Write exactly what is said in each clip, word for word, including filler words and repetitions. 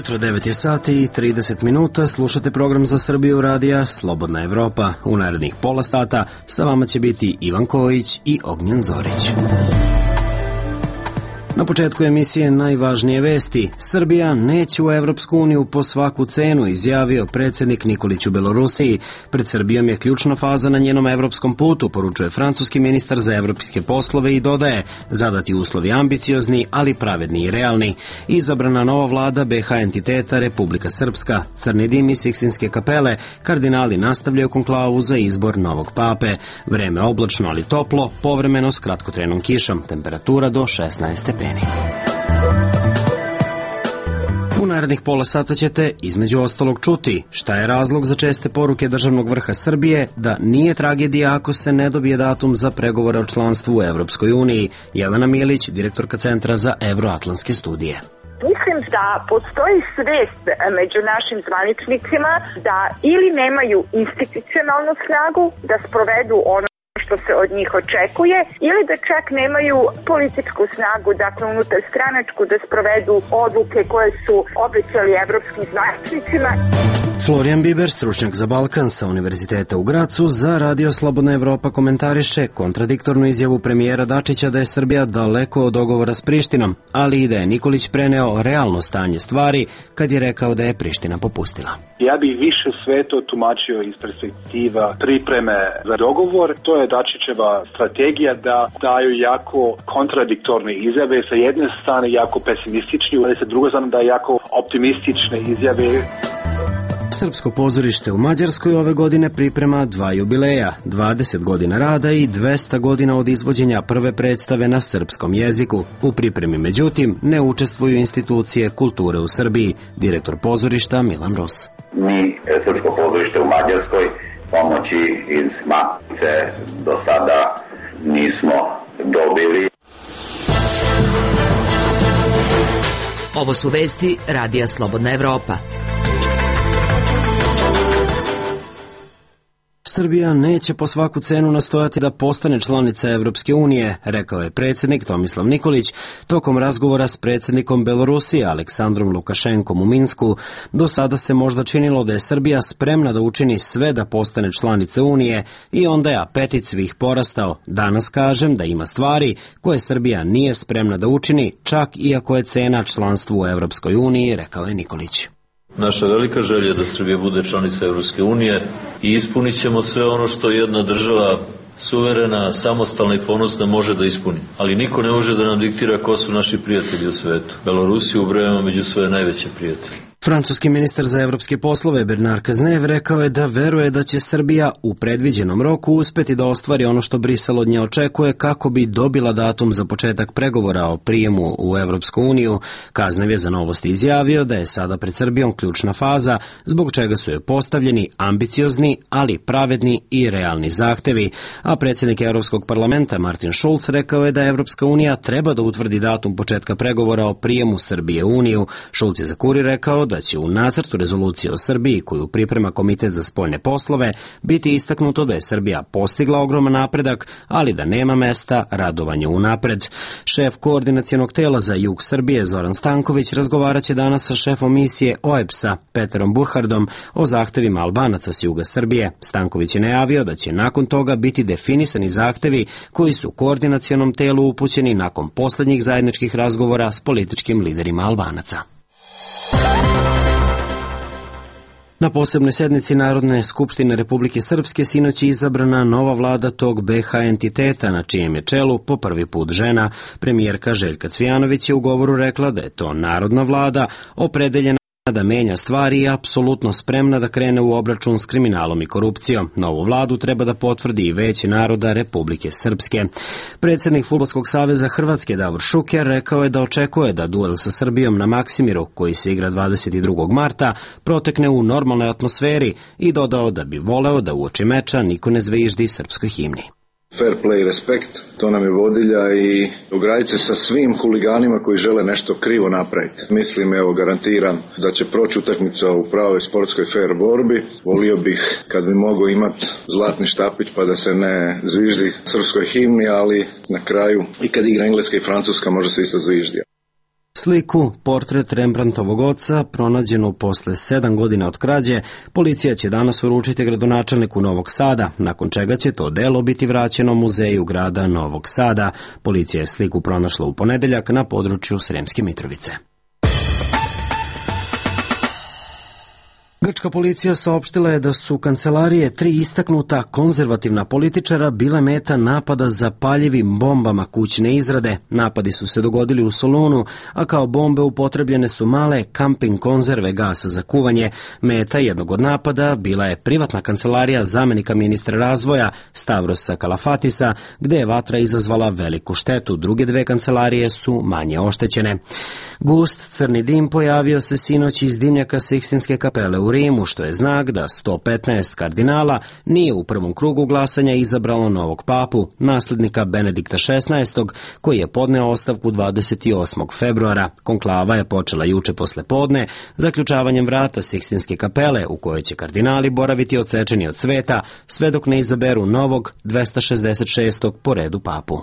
jutro, devet je sati i trideset minuta, slušate program za Srbiju radija Slobodna Evropa. U narednih pola sata sa vama će biti Ivan Kojić i Ognjen Zorić. Na početku emisije najvažnije vesti. Srbija neće u Evropsku uniju po svaku cenu, izjavio predsjednik Nikolić u Belorusiji. Pred Srbijom je ključna faza na njenom evropskom putu, poručuje francuski ministar za evropske poslove i dodaje, zadati uslovi ambiciozni, ali pravedni i realni. Izabrana nova vlada be ha entiteta Republika Srpska, Crni dim i Sikstinske kapele, kardinali nastavljaju konklavu za izbor novog pape. Vreme oblačno, ali toplo, povremeno s kratkotrenom kišom, temperatura do šesnaest stepeni. U narednih pola sata ćete između ostalog čuti šta je razlog za česte poruke državnog vrha Srbije da nije tragedija ako se ne dobije datum za pregovore o članstvu u Evropskoj uniji. Jelena Milić, direktorka Centra za evroatlantske studije. Mislim da postoji svest među našim zvaničnicima da ili nemaju institucionalnu snagu da sprovedu ono što se od njih očekuje, ili da čak nemaju političku snagu, dakle unutar stranačku, da sprovedu odluke koje su obećali evropskim zvaničnicima. Florijan Biber, stručnjak za Balkan sa Univerziteta u Gracu, za Radio Slobodna Evropa komentariše kontradiktornu izjavu premijera Dačića da je Srbija daleko od dogovora s Prištinom, ali i da je Nikolić preneo realno stanje stvari kad je rekao da je Priština popustila. Ja bih više sve to tumačio iz perspektiva pripreme za dogovor. To je Dačićeva strategija da daju jako kontradiktorne izjave, sa jedne strane jako pesimistični, ali sa druge strane da jako optimistične izjave. Srpsko pozorište u Mađarskoj ove godine priprema dva jubileja, dvadeset godina rada i dvesta godina od izvođenja prve predstave na srpskom jeziku. U pripremi, međutim, ne učestvuju institucije kulture u Srbiji, direktor pozorišta Milan Rus. Mi, Srpsko pozorište u Mađarskoj, pomoći iz Matice do sada nismo dobili. Ovo su vesti Radija Slobodna Evropa. Srbija neće po svaku cenu nastojati da postane članica Evropske unije, rekao je predsjednik Tomislav Nikolić tokom razgovora s predsjednikom Belorusije Aleksandrom Lukašenkom u Minsku. Do sada se možda činilo da je Srbija spremna da učini sve da postane članica Unije i onda je apetit svih porastao. Danas kažem da ima stvari koje Srbija nije spremna da učini, čak iako je cena članstvu u Evropskoj uniji, rekao je Nikolić. Naša velika želja je da Srbija bude članica Evropske unije i ispunit ćemo sve ono što jedna država suverena, samostalna i ponosna može da ispuni. Ali niko ne može da nam diktira ko su naši prijatelji u svetu. Belorusiju ubrajamo među svoje najveće prijatelje. Francuski ministar za evropske poslove Bernard Cazeneuve rekao je da veruje da će Srbija u predviđenom roku uspeti da ostvari ono što Brisel od nje očekuje kako bi dobila datum za početak pregovora o prijemu u Evropsku uniju. Cazeneuve je za Novosti izjavio da je sada pred Srbijom ključna faza, zbog čega su joj postavljeni ambiciozni, ali pravedni i realni zahtevi. A predsjednik Evropskog parlamenta Martin Schulz rekao je da Evropska unija treba da utvrdi datum početka pregovora o prijemu Srbije u Uniju. Schulz je za Kurir rekao da će u nacrtu rezolucije o Srbiji, koju priprema Komitet za spoljne poslove, biti istaknuto da je Srbija postigla ogroman napredak, ali da nema mesta radovanju unapred. Šef koordinacionog tela za jug Srbije Zoran Stanković razgovarat će danas sa šefom misije O E B S-a Peterom Burhardom o zahtevima Albanaca s juga Srbije. Stanković je najavio da će nakon toga biti definisani zahtevi koji su koordinacionom telu upućeni nakon posljednjih zajedničkih razgovora s političkim liderima Albanaca. Na posebnoj sednici Narodne skupštine Republike Srpske sinoć je izabrana nova vlada tog be ha entiteta, na čijem je čelu po prvi put žena. Premijerka Željka Cvijanović je u govoru rekla da je to narodna vlada, opredeljena da menja stvari i apsolutno spremna da krene u obračun s kriminalom i korupcijom. Novu vladu treba da potvrdi i Veće naroda Republike Srpske. Predsjednik Fudbalskog saveza Hrvatske Davor Šuker rekao je da očekuje da duel sa Srbijom na Maksimiru, koji se igra dvadeset drugog marta, protekne u normalnoj atmosferi i dodao da bi voleo da uoči meča niko ne zviždi srpskoj himni. Fair play, respekt, to nam je vodilja i ograditi se sa svim huliganima koji žele nešto krivo napraviti. Mislim, evo, garantiram da će proći utakmica u pravoj sportskoj fair borbi. Volio bih kad bi mogao imati zlatni štapić pa da se ne zviždi srpskoj himni, ali na kraju i kad igra Engleska i Francuska može se isto zviždi. Sliku, portret Rembrandtovog oca, pronađenu posle sedam godina od krađe, policija će danas uručiti gradonačelniku Novog Sada, nakon čega će to delo biti vraćeno muzeju grada Novog Sada. Policija je sliku pronašla u ponedeljak na području Sremske Mitrovice. Grčka policija saopštila je da su kancelarije tri istaknuta konzervativna političara bile meta napada zapaljivim bombama kućne izrade. Napadi su se dogodili u Solunu, a kao bombe upotrebljene su male kamping konzerve gasa za kuvanje. Meta jednog od napada bila je privatna kancelarija zamenika ministra razvoja Stavrosa Kalafatisa, gde je vatra izazvala veliku štetu. Druge dve kancelarije su manje oštećene. Gust crni dim pojavio se sinoć iz dimnjaka Sikstinske kapele u Rimu, što je znak da sto petnaest kardinala nije u prvom krugu glasanja izabralo novog papu, naslednika Benedikta šesnaestog, koji je podneo ostavku dvadeset osmog februara. Konklava je počela juče posle podne zaključavanjem vrata Sikstinske kapele, u kojoj će kardinali boraviti odsečeni od sveta, sve dok ne izaberu novog dvesta šezdeset šestog po redu papu.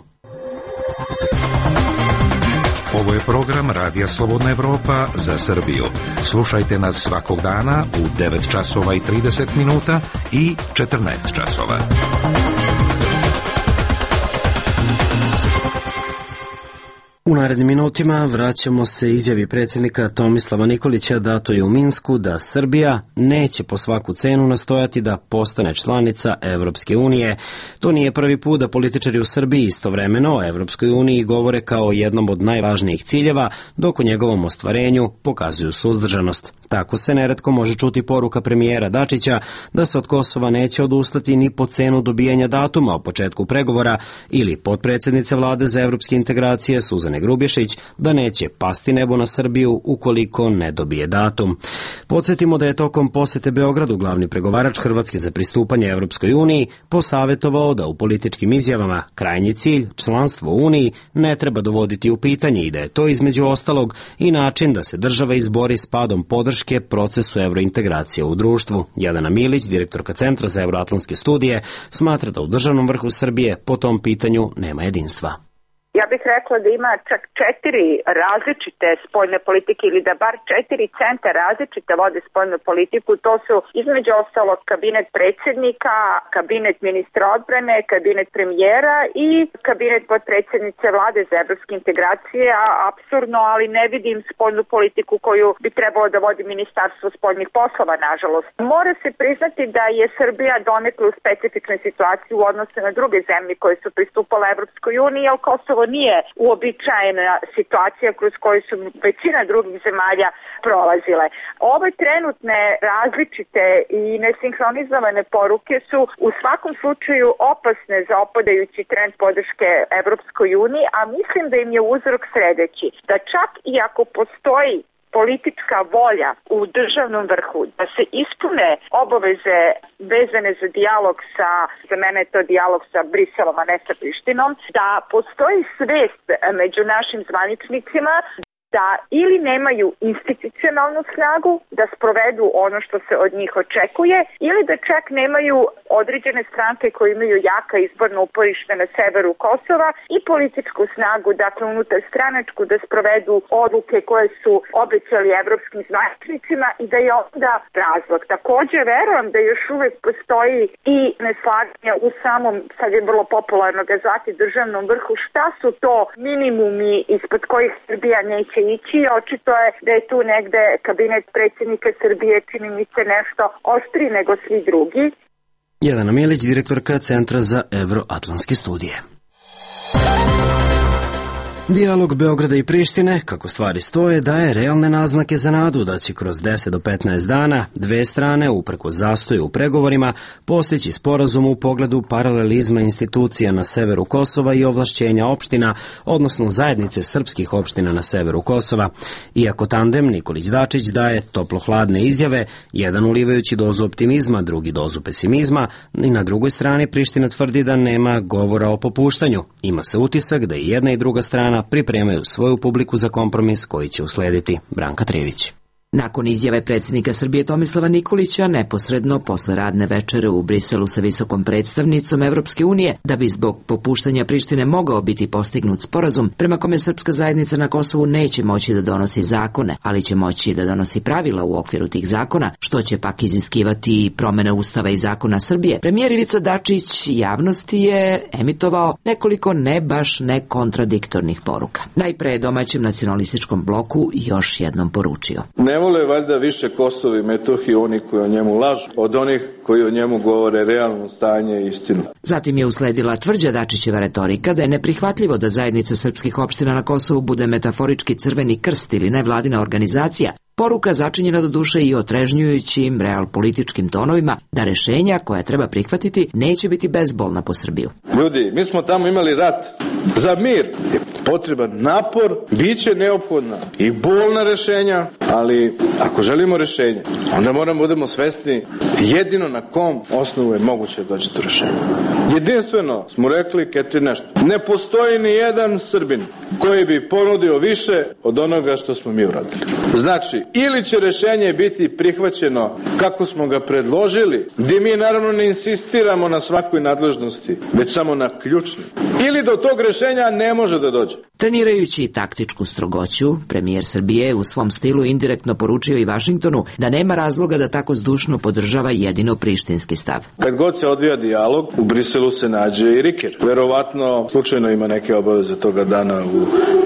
Ovo je program Radija Slobodna Evropa za Srbiju. Slušajte nas svakog dana u devet časova i trideset minuta i četrnaest časova. U narednim minutima vraćamo se izjavi predsjednika Tomislava Nikolića datoj u Minsku da Srbija neće po svaku cenu nastojati da postane članica Evropske unije. To nije prvi put da političari u Srbiji istovremeno o Evropskoj uniji govore kao jednom od najvažnijih ciljeva, dok u njegovom ostvarenju pokazuju suzdržanost. Tako se neretko može čuti poruka premijera Dačića da se od Kosova neće odustati ni po cenu dobijanja datuma o početku pregovora ili potpredsjednice vlade za evropske integracije Suzane Grubješić da neće pasti nebo na Srbiju ukoliko ne dobije datum. Podsjetimo da je tokom posete Beogradu glavni pregovarač Hrvatske za pristupanje Evropskoj uniji posavjetovao da u političkim izjavama krajnji cilj, članstvo u Uniji, ne treba dovoditi u pitanje i da je to između ostalog i način da se država izbori s padom podrške procesu evrointegracije u društvu. Jelena Milić, direktorka Centra za evroatlantske studije, smatra da u državnom vrhu Srbije po tom pitanju nema jedinstva. Ja bih rekla da ima čak četiri različite spoljne politike ili da bar četiri centra različite vode spoljnu politiku. To su između ostalog kabinet predsjednika, kabinet ministra odbrane, kabinet premijera i kabinet potpredsjednice vlade za evropske integracije, a apsurdno, ali ne vidim spoljnu politiku koju bi trebalo da vodi ministarstvo spoljnih poslova, nažalost. Mora se priznati da je Srbija donekle u specifičnoj situaciji u odnosu na druge zemlje koje su pristupale Evropskoj uniji, ali Kosovo nije uobičajena situacija kroz koju su većina drugih zemalja prolazile. Ove trenutne različite i nesinhronizovane poruke su u svakom slučaju opasne za opadajući trend podrške Evropskoj uniji, a mislim da im je uzrok sledeći, da čak i ako postoji politička volja u državnom vrhu da se ispune obaveze vezane za dijalog sa, za mene je to dijalog sa Briselom, a ne sa Prištinom, da postoji svest među našim zvaničnicima da ili nemaju institucionalnu snagu da sprovedu ono što se od njih očekuje ili da čak nemaju određene stranke koje imaju jaka izborno uporište na severu Kosova i političku snagu, dakle unutar stranačku, da sprovedu odluke koje su obećali evropskim zvaničnicima i da je onda razlog. Takođe verujem da još uvek postoji i neslaganje u samom, sad je vrlo popularno ga zvati, državnom vrhu, šta su to minimumi ispod kojih Srbija neće ići. Očito je da je tu negde kabinet predsjednika Srbije, čini mi se, nešto oštri nego svi drugi. Jelena Milić, direktorka Centra za evroatlantske studije. Dijalog Beograda i Prištine, kako stvari stoje, daje realne naznake za nadu da će kroz deset do petnaest dana dve strane, uprkos zastoju u pregovorima, postići sporazum u pogledu paralelizma institucija na severu Kosova i ovlašćenja opština, odnosno zajednice srpskih opština na severu Kosova. Iako tandem Nikolić-Dačić daje toplo-hladne izjave, jedan ulivajući dozu optimizma, drugi dozu pesimizma, i na drugoj strani Priština tvrdi da nema govora o popuštanju. Ima se utisak da i jedna i druga strana pripremaju svoju publiku za kompromis koji će uslediti. Branka Trević. Nakon izjave predsjednika Srbije Tomislava Nikolića neposredno posle radne večere u Briselu sa visokom predstavnicom Evropske unije, da bi zbog popuštanja Prištine mogao biti postignut sporazum prema kome srpska zajednica na Kosovu neće moći da donosi zakone, ali će moći da donosi pravila u okviru tih zakona, što će pak iziskivati promene Ustava i zakona Srbije, premijer Ivica Dačić javnosti je emitovao nekoliko ne baš nekontradiktornih poruka. Najpre domaćem nacionalističkom bloku još jednom poručio: Ne vole valjda više Kosovo i Metohiju oni koji o njemu lažu od onih koji o njemu govore realno stanje i istinu. Zatim je usledila tvrđa Dačićeva retorika da je neprihvatljivo da zajednica srpskih opština na Kosovu bude metaforički Crveni krst ili nevladina organizacija, poruka začinjena do duše i otrežnjujućim realpolitičkim tonovima da rešenja koja treba prihvatiti neće biti bezbolna po Srbiju. Ljudi, mi smo tamo imali rat. Za mir je potreban napor, bit će neophodna i bolna rešenja, ali ako želimo rešenje, onda moramo budemo svesni jedino na kom osnovu je moguće doći do rešenja. Jedinstveno smo rekli, Ketri, nešto. Ne postoji ni jedan Srbin koji bi ponudio više od onoga što smo mi uradili. Znači, ili će rešenje biti prihvaćeno kako smo ga predložili, gdje mi naravno ne insistiramo na svakoj nadležnosti, već samo na ključni. Ili do tog rešenja ne može da dođe. Trenirajući taktičku strogoću, premijer Srbije u svom stilu indirektno poručio i Vašingtonu da nema razloga da tako zdušno podržava jedino prištinski stav. Kad god se odvija dijalog, u Briselu se nađe i Riker. Verovatno slučajno ima neke obaveze toga dana u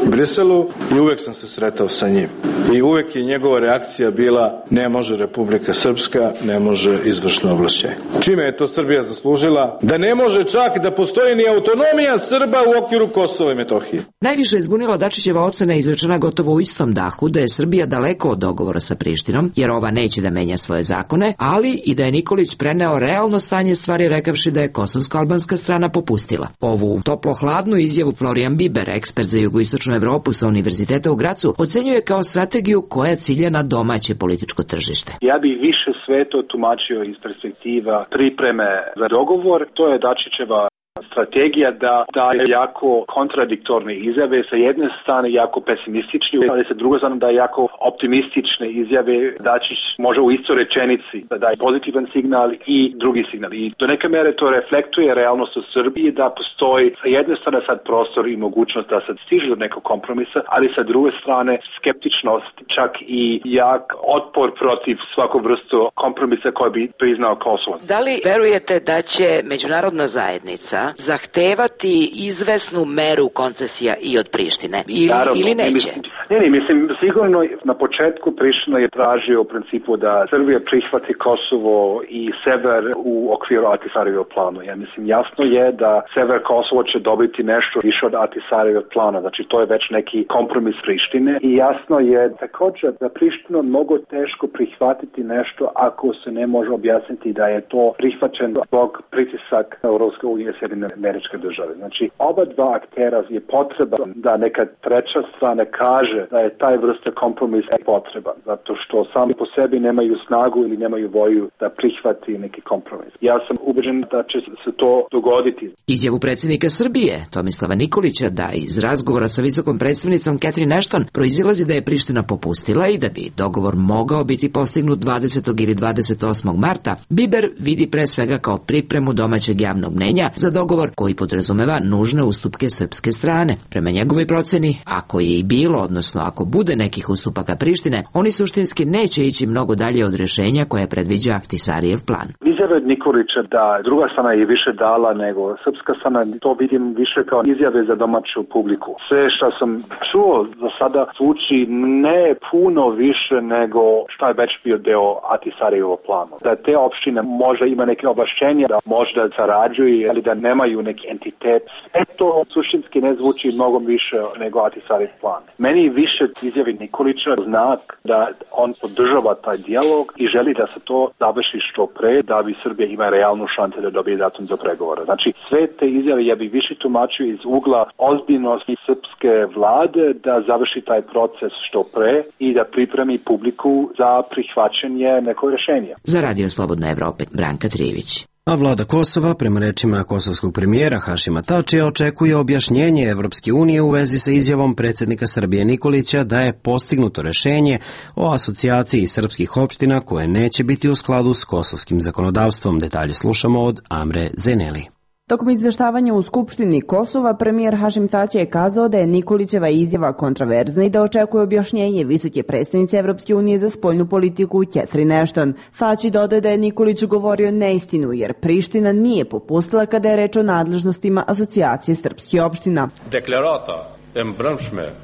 Briselu i uvek sam se sretao sa njim. I uvek je njegova reakcija bila: ne može Republika Srpska, ne može izvršno ovlašćenje. Čime je to Srbija zaslužila? Da ne može čak da postoji ni autonomija Srba u okviru Kosova i Metohije. Najviše je zbunila Dačićeva ocena izrečena gotovo u istom dahu da je Srbija daleko od dogovora sa Prištinom, jer ova neće da menja svoje zakone, ali i da je Nikolić preneo realno stanje stvari rekavši da je kosovsko-albanska strana popustila. Ovu toplo-hladnu izjavu Florian Biber, ekspert za jugoistočnu Evropu sa Univerziteta u Gracu, ocenjuje kao strategiju koja cilja na domaće političko tržište. Ja bih više sve to tumačio iz perspektiva pripreme za dogovor. To je Dačićeva strategija da daje jako kontradiktorne izjave, sa jedne strane jako pesimistične, ali sa druge strane da je jako optimistične izjave. Dačić može u istoj rečenici da daje pozitivan signal i drugi signal. I do neke mere to reflektuje realnost u Srbiji, da postoji sa jedne strane sad prostor i mogućnost da se stiže do nekog kompromisa, ali sa druge strane skeptičnost, čak i jak otpor protiv svakog vrstu kompromisa koji bi priznao Kosovo. Da li verujete da će međunarodna zajednica zahtevati izvesnu meru koncesija i od Prištine ili, Naravno, ili neće? Mislim, ne, ne, mislim, sigurno na početku Priština je tražio u principu da Srbija prihvati Kosovo i sever u okviru Ahtisarijevog plana. Ja mislim, jasno je da sever Kosovo će dobiti nešto više od Ahtisarijevog plana, znači to je već neki kompromis Prištine i jasno je također da Priština mnogo teško prihvatiti nešto ako se ne može objasniti da je to prihvaćeno zbog pritisak Europske unije i Sjedinjenih Američke Države. Znači, oba dva aktera je potreba da neka treća strana kaže da je taj vrsta kompromisa potreban, zato što sami po sebi nemaju snagu ili nemaju volju da prihvati neki kompromis. Ja sam ubeđen da će se to dogoditi. Izjavu predsjednika Srbije, Tomislava Nikolića, da iz razgovora sa visokom predstavnicom Catherine Ashton proizilazi da je Priština popustila i da bi dogovor mogao biti postignut dvadesetog ili dvadeset osmog marta, Biber vidi pre svega kao pripremu domaćeg javnog mnenja za dogovor koji podrazumeva nužne ustupke srpske strane. Prema njegovoj proceni, ako je i bilo, odnosno ako bude nekih ustupaka Prištine, oni suštinski neće ići mnogo dalje od rešenja koje predviđa Ahtisarijev plan. Izjave od Nikolića da druga strana je više dala nego srpska strana, to vidim više kao izjave za domaću publiku. Sve što sam čuo za sada zvuči ne puno više nego što je već bio deo Ahtisarijevog plana. Da te opštine možda ima neke ovlašćenja, da možda sarađuju, ali da nemaju neki entitet. Sve to suštinski ne zvuči mnogo više nego Ahtisarijev plan. Meni više izjavi Nikolića znak da on podržava taj dijalog i želi da se to završi što pre, da bi Srbija ima realnu šansu da dobije datum za pregovore. Znači, sve te izjave ja bih više tumačio iz ugla ozbiljnosti srpske vlade da završi taj proces što pre i da pripremi publiku za prihvaćanje nekog rešenja. Za Radio Slobodna Evropa, Branka Trijević. A vlada Kosova, prema rečima kosovskog premijera Hašima Tačija, očekuje objašnjenje Evropske unije u vezi sa izjavom predsjednika Srbije Nikolića da je postignuto rešenje o asocijaciji srpskih opština koje neće biti u skladu s kosovskim zakonodavstvom. Detalje slušamo od Amre Zeneli. Tokom izveštavanja u Skupštini Kosova, premijer Hašim Tači je kazao da je Nikolićeva izjava kontraverzna i da očekuje objašnjenje visoke predstavnice Evropske unije za spoljnu politiku Catherine Ashton. Tači dodaje da je Nikolić govorio neistinu jer Priština nije popustila kada je reč o nadležnostima asocijacije srpskih opština. Deklarata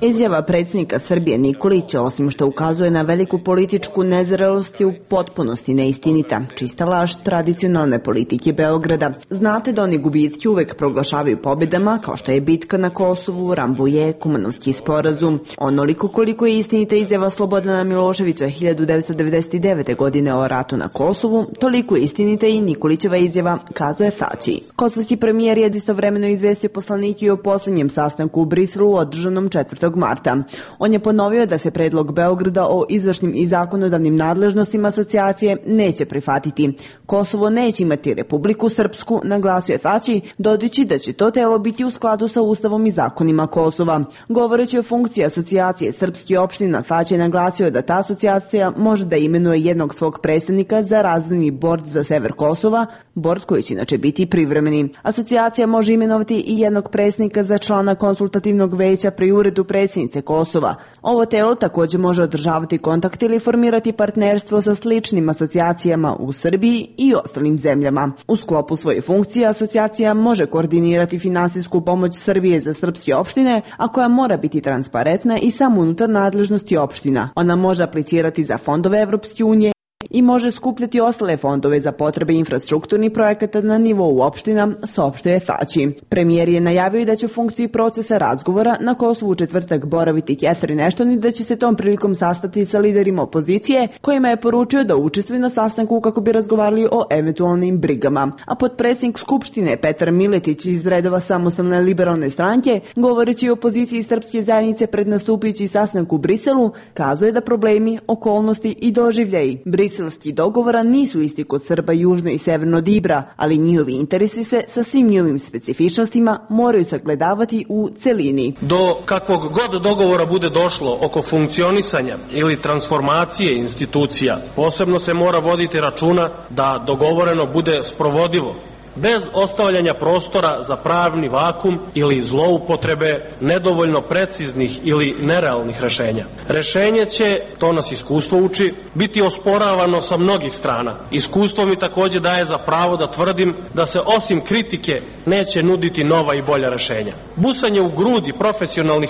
Izjava predsjednika Srbije Nikolića, osim što ukazuje na veliku političku nezrelost, je u potpunosti neistinita, čista laž tradicionalne politike Beograda. Znate da oni gubitke uvek proglašavaju pobjedama, kao što je bitka na Kosovu, Rambuje, Kumanovski sporazum. Onoliko koliko je istinita izjava Slobodana Miloševića hiljadu devetsto devedeset devete. godine o ratu na Kosovu, toliko je istinita i Nikolićeva izjava, kazuje Tači. Kosovski premijer je istovremeno izvestio poslanike o poslednjem sastanku u Briselu održanom četvrtog marta. On je ponovio da se predlog Beograda o izvršnim i zakonodavnim nadležnostima asocijacije neće prihvatiti. Kosovo neće imati Republiku Srpsku, naglasio je Tači, dodajući da će to telo biti u skladu sa Ustavom i zakonima Kosova. Govoreći o funkciji asocijacije srpskih opština, Tači je naglasio da ta asocijacija može da imenuje jednog svog predstavnika za razvojni bord za sever Kosova, bord koji će inače biti privremeni. Asocijacija može imenovati i jednog predstavnika za člana konsultativnog veća pri uredu predsjednice Kosova. Ovo telo također može održavati kontakt ili formirati partnerstvo sa sličnim asocijacijama u Srbiji i ostalim zemljama. U sklopu svoje funkcije asocijacija može koordinirati finansijsku pomoć Srbije za srpske opštine, a koja mora biti transparentna i samo unutar nadležnosti opština. Ona može aplicirati za fondove Evropske unije i može skupljati ostale fondove za potrebe infrastrukturnih projekata na nivou opština, saopštuje Tači. Premijer je najavio da će u funkciji procesa razgovora na Kosovu u četvrtak boraviti Catherine Ashton i da će se tom prilikom sastati sa liderima opozicije, kojima je poručio da učestvuju na sastanku kako bi razgovarali o eventualnim brigama. A potpredsjednik Skupštine Petar Miletić iz redova Samostalne liberalne stranke, govoreći o opoziciji srpske zajednice pred nastupajući sastanak u Briselu, kazuje da problemi, okolnosti i doživljaji briselskih dogovora nisu isti kod Srba južno i severno od Ibra, ali njihovi interesi se sa svim njihovim specifičnostima moraju sagledavati u celini. Do kakvog god dogovora bude došlo oko funkcionisanja ili transformacije institucija, posebno se mora voditi računa da dogovoreno bude sprovodivo, bez ostavljanja prostora za pravni vakum ili zloupotrebe nedovoljno preciznih ili nerealnih rešenja. Rešenje će, to nas iskustvo uči, biti osporavano sa mnogih strana. Iskustvo mi također daje za pravo da tvrdim da se osim kritike neće nuditi nova i bolja rešenja. Busanje u grudi profesionalnih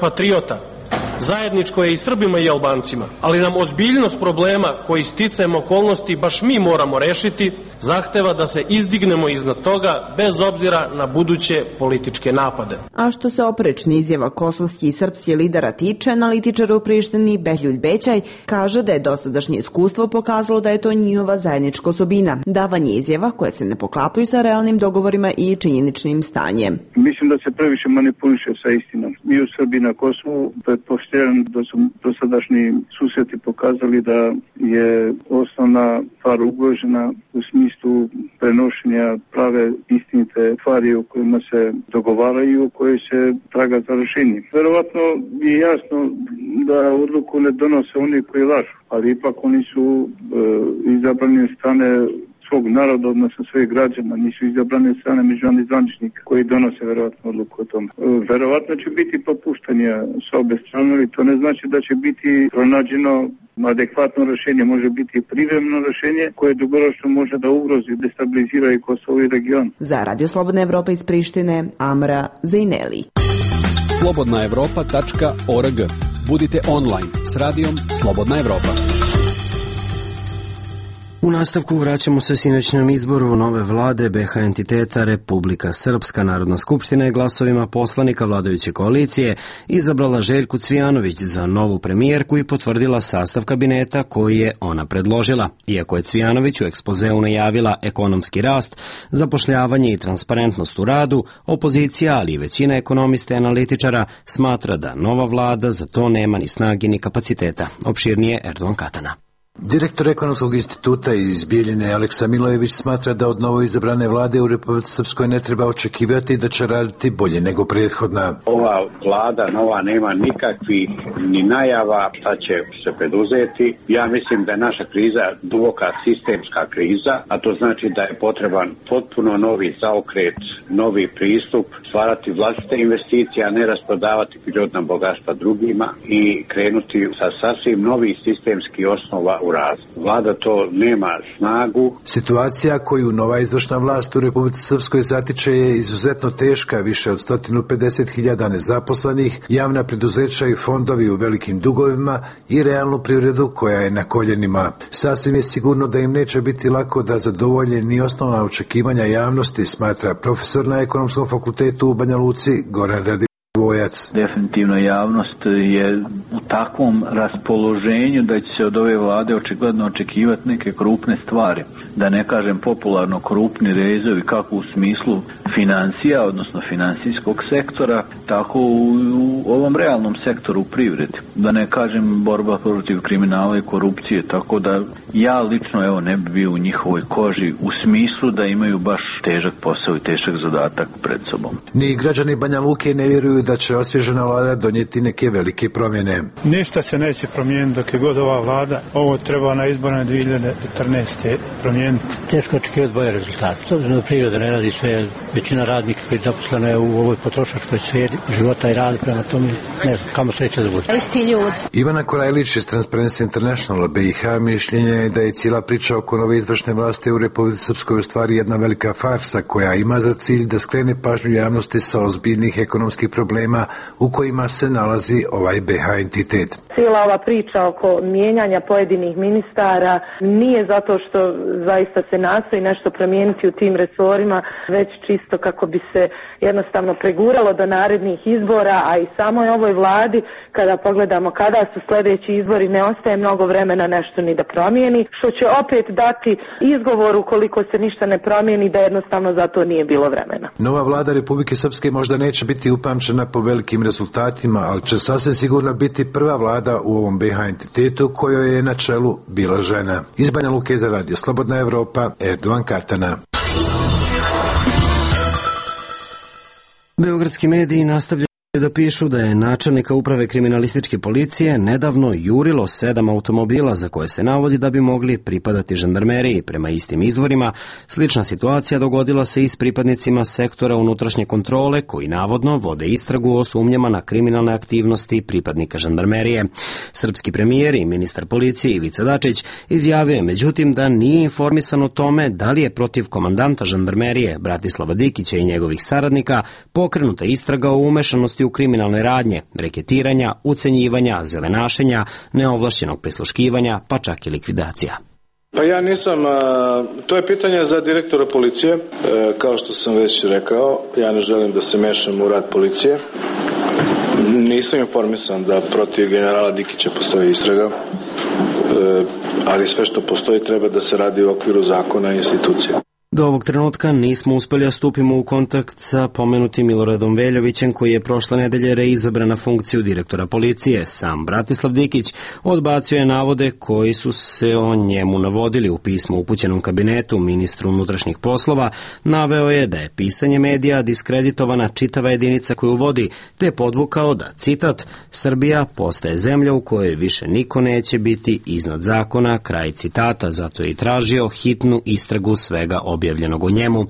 patriota zajedničko je i Srbima i Albancima, ali nam ozbiljnost problema koji sticajem okolnosti baš mi moramo rešiti zahteva da se izdignemo iznad toga bez obzira na buduće političke napade. A što se oprečni izjava kosovskih i srpskih lidera tiče, analitičar u Prištini Behljuljt Bećaj kaže da je dosadašnje iskustvo pokazalo da je to njihova zajednička osobina, davanje izjava koje se ne poklapaju sa realnim dogovorima i činjeničnim stanjem. Mislim da se previše manipuliše sa istinom. Mi u Srbiji na Kosovu pretpostavljam da su dosadašnji susreti pokazali da je osnovna stvar ugrožena u smislu prenošenja prave istinite stvari o kojima se dogovaraju, o kojoj se traga za rešenje. Verovatno je jasno da odluku ne donose oni koji lažu, ali ipak oni su e, izabrani od strane svog naroda, odnosno svojih građana, nisu izabrani od strane međunarodnih zvaničnika koji donose verovatno odluku o tome. Verovatno će biti popuštanja s obe strane, ali to ne znači da će biti pronađeno adekvatno rešenje, može biti privremeno rešenje koje dugoročno može da ugrozi, destabilizira i Kosovo i region. Za Radio Slobodna Evropa iz Prištine, Amra Zejneli. slobodna evropa tačka org. Budite online s radijom Slobodna Evropa. U nastavku vraćamo se sinoćnom izboru nove vlade B H entiteta Republika Srpska. Narodna skupština je glasovima poslanika vladajuće koalicije izabrala Željku Cvijanović za novu premijerku i potvrdila sastav kabineta koji je ona predložila. Iako je Cvijanović u ekspozeu najavila ekonomski rast, zapošljavanje i transparentnost u radu, opozicija, ali i većina ekonomista i analitičara smatra da nova vlada za to nema ni snage ni kapaciteta. Opširnije Erdogan Katana. Direktor Ekonomskog instituta iz Bijeljine Aleksa Milojević smatra da od novoizabrane vlade u Republici Srpskoj ne treba očekivati da će raditi bolje nego prethodna. Ova vlada nova nema nikakvih ni najava šta će se preduzeti. Ja mislim da je naša kriza duboka sistemska kriza, a to znači da je potreban potpuno novi zaokret, novi pristup, stvarati vlastite investicije, a ne rasprodavati prirodna bogatstva drugima i krenuti sa sasvim novih sistemskih osnova u razvoju. Vlada to nema snagu. Situacija koju nova izvršna vlast u Republici Srpskoj zatiče je izuzetno teška, više od sto pedeset hiljada nezaposlenih, javna preduzeća i fondovi u velikim dugovima i realnu privredu koja je na koljenima. Sasvim je sigurno da im neće biti lako da zadovolje ni osnovna očekivanja javnosti, smatra profesor na Ekonomskom fakultetu u Banja Luci Goran Radi. Definitivno javnost je u takvom raspoloženju da će se od ove vlade očigledno očekivati neke krupne stvari. Da ne kažem popularno krupni rezovi kako u smislu financija, odnosno finansijskog sektora, tako u, u ovom realnom sektoru u privredi. Da ne kažem borba protiv kriminala i korupcije, tako da ja lično evo ne bi bio u njihovoj koži u smislu da imaju baš težak posao i težak zadatak pred sobom. Ni građani Banja Luke ne vjeruju da će osvježena vlada donijeti neke velike promjene. Ništa se neće promijeniti dok je god ova vlada. Ovo treba na izborne dvije hiljade četrnaeste. promijeniti. Teško očekivati bolje rezultate. S obzirom da priroda ne radi sve, većina radnika koji je zaposlena je u ovoj potrošačkoj sferi života i radi, prema tome ne znam kamo sreće da bude. Isti ljudi. Ivana Korajlić iz Transparency International B i H mišljenja je da je cijela priča oko nove izvršne vlasti u Republici Srpskoj u stvari jedna velika farsa koja ima za cilj da skrene pažnju javnosti sa ozbiljnih ekonomskih problema u kojima se nalazi ovaj B H entitet. Cijela ova priča oko mijenjanja pojedinih ministara nije zato što zaista se nastoji nešto promijeniti u tim resorima, već čisto kako bi se jednostavno preguralo do narednih izbora, a i samoj ovoj vladi, kada pogledamo kada su sljedeći izbori, ne ostaje mnogo vremena nešto ni da promijeni, što će opet dati izgovor ukoliko se ništa ne promijeni da jednostavno za to nije bilo vremena. Nova vlada Republike Srpske možda neće biti upamćena po velikim rezultatima, ali će sasvim sigurno biti prva vlada u ovom B H entitetu kojoj je na čelu bila žena. Iz Banja Luke za radio Slobodna Evropa, Erdovan Kartana. Beogradski mediji nastavljaju da pišu da je načelnika uprave kriminalističke policije nedavno jurilo sedam automobila za koje se navodi da bi mogli pripadati žandarmeriji. Prema istim izvorima, slična situacija dogodila se i s pripadnicima sektora unutrašnje kontrole koji navodno vode istragu o sumnjama na kriminalne aktivnosti pripadnika žandarmerije. Srpski premijer i ministar policije Ivica Dačić izjavio je međutim da nije informisan o tome da li je protiv komandanta žandarmerije Bratislava Dikića i njegovih saradnika pokrenuta istraga o umešanosti u kriminalne radnje, reketiranja, ucenjivanja, zelenašenja, neovlašćenog prisluškivanja, pa čak i likvidacija. Pa ja nisam, to je pitanje za direktora policije, kao što sam već rekao, ja ne želim da se mešam u rad policije. Nisam informisan da protiv generala Dikića postoji istraga, ali sve što postoji treba da se radi u okviru zakona i institucija. Do ovog trenutka nismo uspjeli da stupimo u kontakt sa pomenutim Miloradom Veljovićem koji je prošle nedelje reizabran na funkciju direktora policije. Sam Bratislav Dikić odbacio je navode koji su se o njemu navodili u pismu upućenom kabinetu ministru unutrašnjih poslova. Naveo je da je pisanje medija diskreditovana čitava jedinica koju vodi, te podvukao da, citat, Srbija postaje zemlja u kojoj više niko neće biti iznad zakona, kraj citata, zato je i tražio hitnu istragu svega objavljenog o njemu.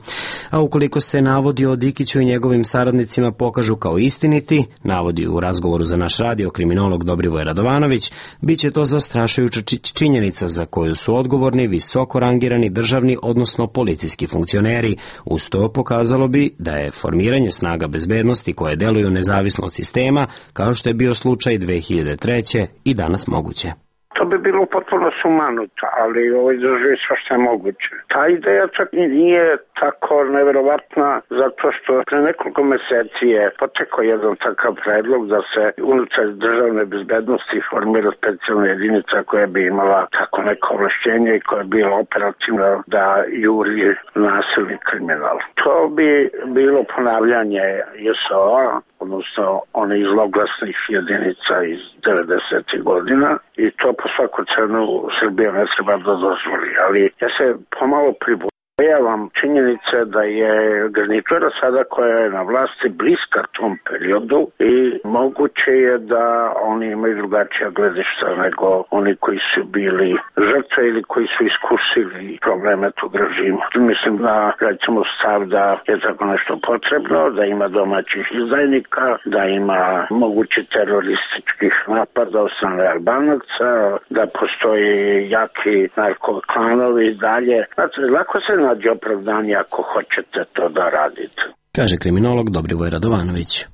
A ukoliko se navodi o Dikiću i njegovim saradnicima pokažu kao istiniti, navodi u razgovoru za naš radio kriminolog Dobrivoje Radovanović, bit će to zastrašujuća činjenica za koju su odgovorni visoko rangirani državni, odnosno policijski funkcioneri. Uz to pokazalo bi da je formiranje snaga bezbednosti koje deluju nezavisno od sistema, kao što je bio slučaj dve hiljade treće i danas moguće. To bi bilo potpuno sumanuto, ali ovo izdržuje sve što je moguće. Ta ideja čak i nije tako neverovatna, zato što pre nekoliko meseci je potekao jedan takav predlog da se unutar državne bezbednosti formira specijalna jedinica koja bi imala tako neko ovlašćenje i koja bi bila operativna da juri nasilni kriminal. To bi bilo ponavljanje J S O-a odnosno one iz zloglasnih jedinica iz devedesetih godina i to po svaku cenu Srbija ne treba da dozvoli. Ali ja se pomalo pribojavam činjenice da je garnitura sada koja je na vlasti bliska tom periodu i moguće je da oni imaju drugačija gledišta nego oni koji su bili žrtve ili koji su iskusili probleme tog režima. Mislim da recimo stav da je tako nešto potrebno, da ima domaćih izdajnika, da ima mogući terorističkih napada od strane Albanaca, da postoji jaki narkoklanovi i dalje. Znači, lako se nađe opravdanje ako hoćete to da radite. Kaže kriminolog Dobrivoj Radovanović.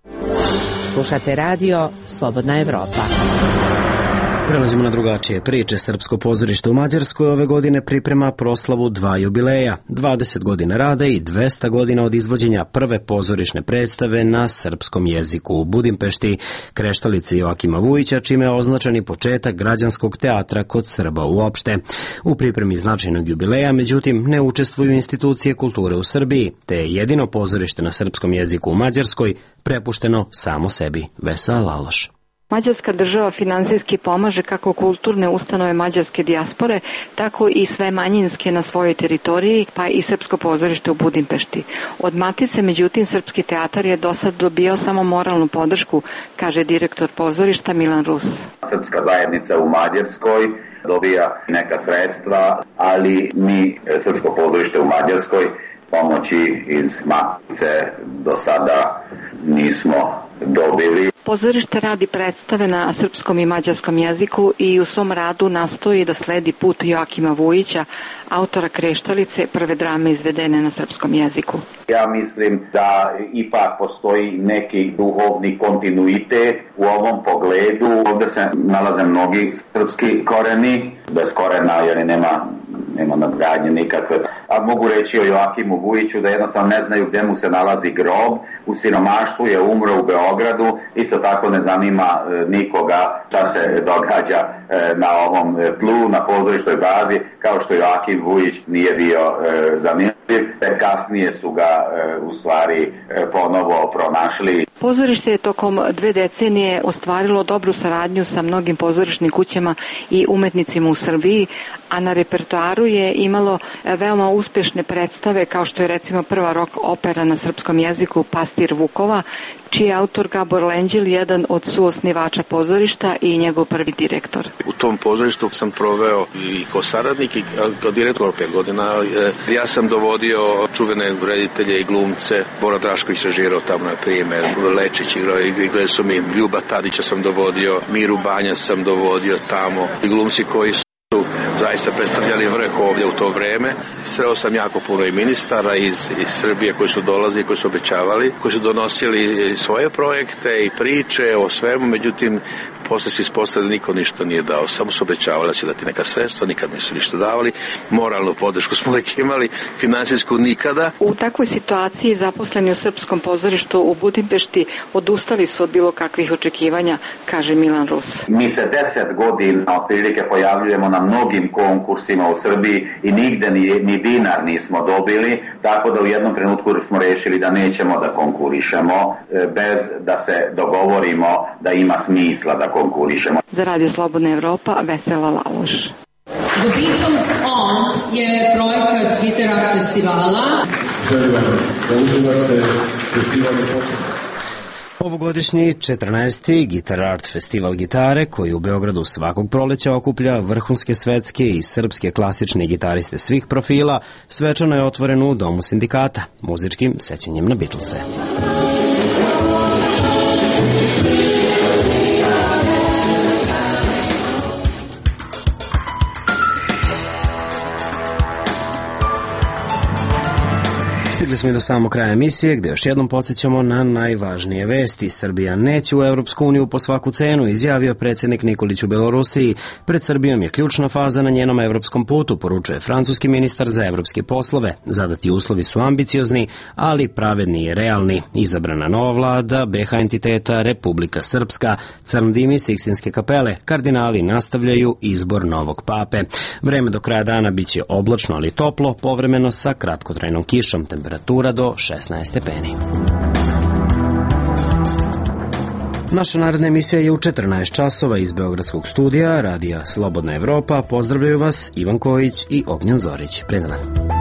Slušate radio Slobodna Evropa. Prelazimo na drugačije priče. Srpsko pozorište u Mađarskoj ove godine priprema proslavu dva jubileja, dvadeset godina rada i dvesta godina od izvođenja prve pozorišne predstave na srpskom jeziku u Budimpešti, Kreštalice Joakima Vujića, čime je označen i početak građanskog teatra kod Srba uopšte. U pripremi značajnog jubileja, međutim, ne učestvuju institucije kulture u Srbiji, te je jedino pozorište na srpskom jeziku u Mađarskoj prepušteno samo sebi. Vesela Laloš. Mađarska država finansijski pomaže kako kulturne ustanove mađarske dijaspore, tako i sve manjinske na svojoj teritoriji, pa i Srpsko pozorište u Budimpešti. Od Matice, međutim, Srpski teatar je do sad dobio samo moralnu podršku, kaže direktor pozorišta Milan Rus. Srpska zajednica u Mađarskoj dobija neka sredstva, ali mi, Srpsko pozorište u Mađarskoj, pomoći iz Matice do sada nismo dobili. Pozorište radi predstave na srpskom i mađarskom jeziku i u svom radu nastoji da sledi put Joakima Vujića, autora Kreštalice, prve drame izvedene na srpskom jeziku. Ja mislim da ipak postoji neki duhovni kontinuitet u ovom pogledu. Ovdje se nalaze mnogi srpski koreni, bez korena jer nema, nema nadgradnje nikakve. A mogu reći o Joakimu Vujiću da jednostavno ne znaju gdje mu se nalazi grob. U siromaštvu je umro u Beogradu, isto tako ne zanima nikoga šta se događa na ovom tlu, na pozorištoj bazi, kao što Joakim Vujić nije bio zanimljiv, te kasnije su ga u stvari ponovo pronašli. Pozorište je tokom dve decenije ostvarilo dobru saradnju sa mnogim pozorišnim kućama i umetnicima u Srbiji, a na repertoaru je imalo veoma uspešne predstave kao što je recimo prva rock opera na srpskom jeziku Pastir Vukova, čiji je autor Gabor Lenđel jedan od suosnivača pozorišta i njegov prvi direktor. U tom pozorištu sam proveo i kao saradnik i kao direktor pet godina. Ja sam dovodio čuvene reditelje i glumce. Bora Drašković režirao tamo, na primjer, Lečić igrao, igrali su mi, Ljuba Tadića sam dovodio, Miru Banja sam dovodio tamo. I glumci koji su zaista predstavljali vrh ovdje u to vreme. Sreo sam jako puno i ministara iz, iz Srbije koji su dolazili, koji su obećavali, koji su donosili svoje projekte i priče o svemu, međutim posle se ispostavili da niko ništa nije dao, samo su obećavali da će dati neka sredstva, nikad nisu ništa davali, moralnu podršku smo uvijek imali, finansijsku nikada. U takvoj situaciji zaposleni u Srpskom pozorištu u Budimpešti odustali su od bilo kakvih očekivanja, kaže Milan Rus. Mi se deset godina otprilike pojavljujemo na mnogim konkursima u Srbiji i nigde ni, ni dinar nismo dobili, tako da u jednom trenutku smo rešili da nećemo da konkurišemo bez da se dogovorimo da ima smisla da konkurišemo. Za Radio Slobodna Evropa, Vesela Laloš. The Beatles On je projekat Guitar Art festivala. Želim vam da uživate festivalni počet. Ovogodišnji četrnaesti Guitar Art festival gitare, koji u Beogradu svakog proleća okuplja vrhunske svetske i srpske klasične gitariste svih profila, svečano je otvoren u Domu sindikata, muzičkim sećanjem na Beatlese. Stigli smo i do samog kraja emisije, gde još jednom podsjećamo na najvažnije vesti. Srbija neće u Evropsku uniju po svaku cenu, izjavio predsjednik Nikolić u Belorusiji. Pred Srbijom je ključna faza na njenom evropskom putu, poručuje francuski ministar za evropske poslove. Zadati uslovi su ambiciozni, ali pravedni i realni. Izabrana nova vlada, be ha entiteta, Republika Srpska, Crndimi, Sikstinske kapele, kardinali nastavljaju izbor novog pape. Vreme do kraja dana biće oblačno, ali toplo, povremeno sa kratkotrajnom kišom. Temperatura do šesnaest stepeni. Naša naredna emisija je u četrnaest časova iz Beogradskog studija Radija Slobodna Evropa. Pozdravljaju vas Ivan Kojić i Ognjen Zorić. Pred nama.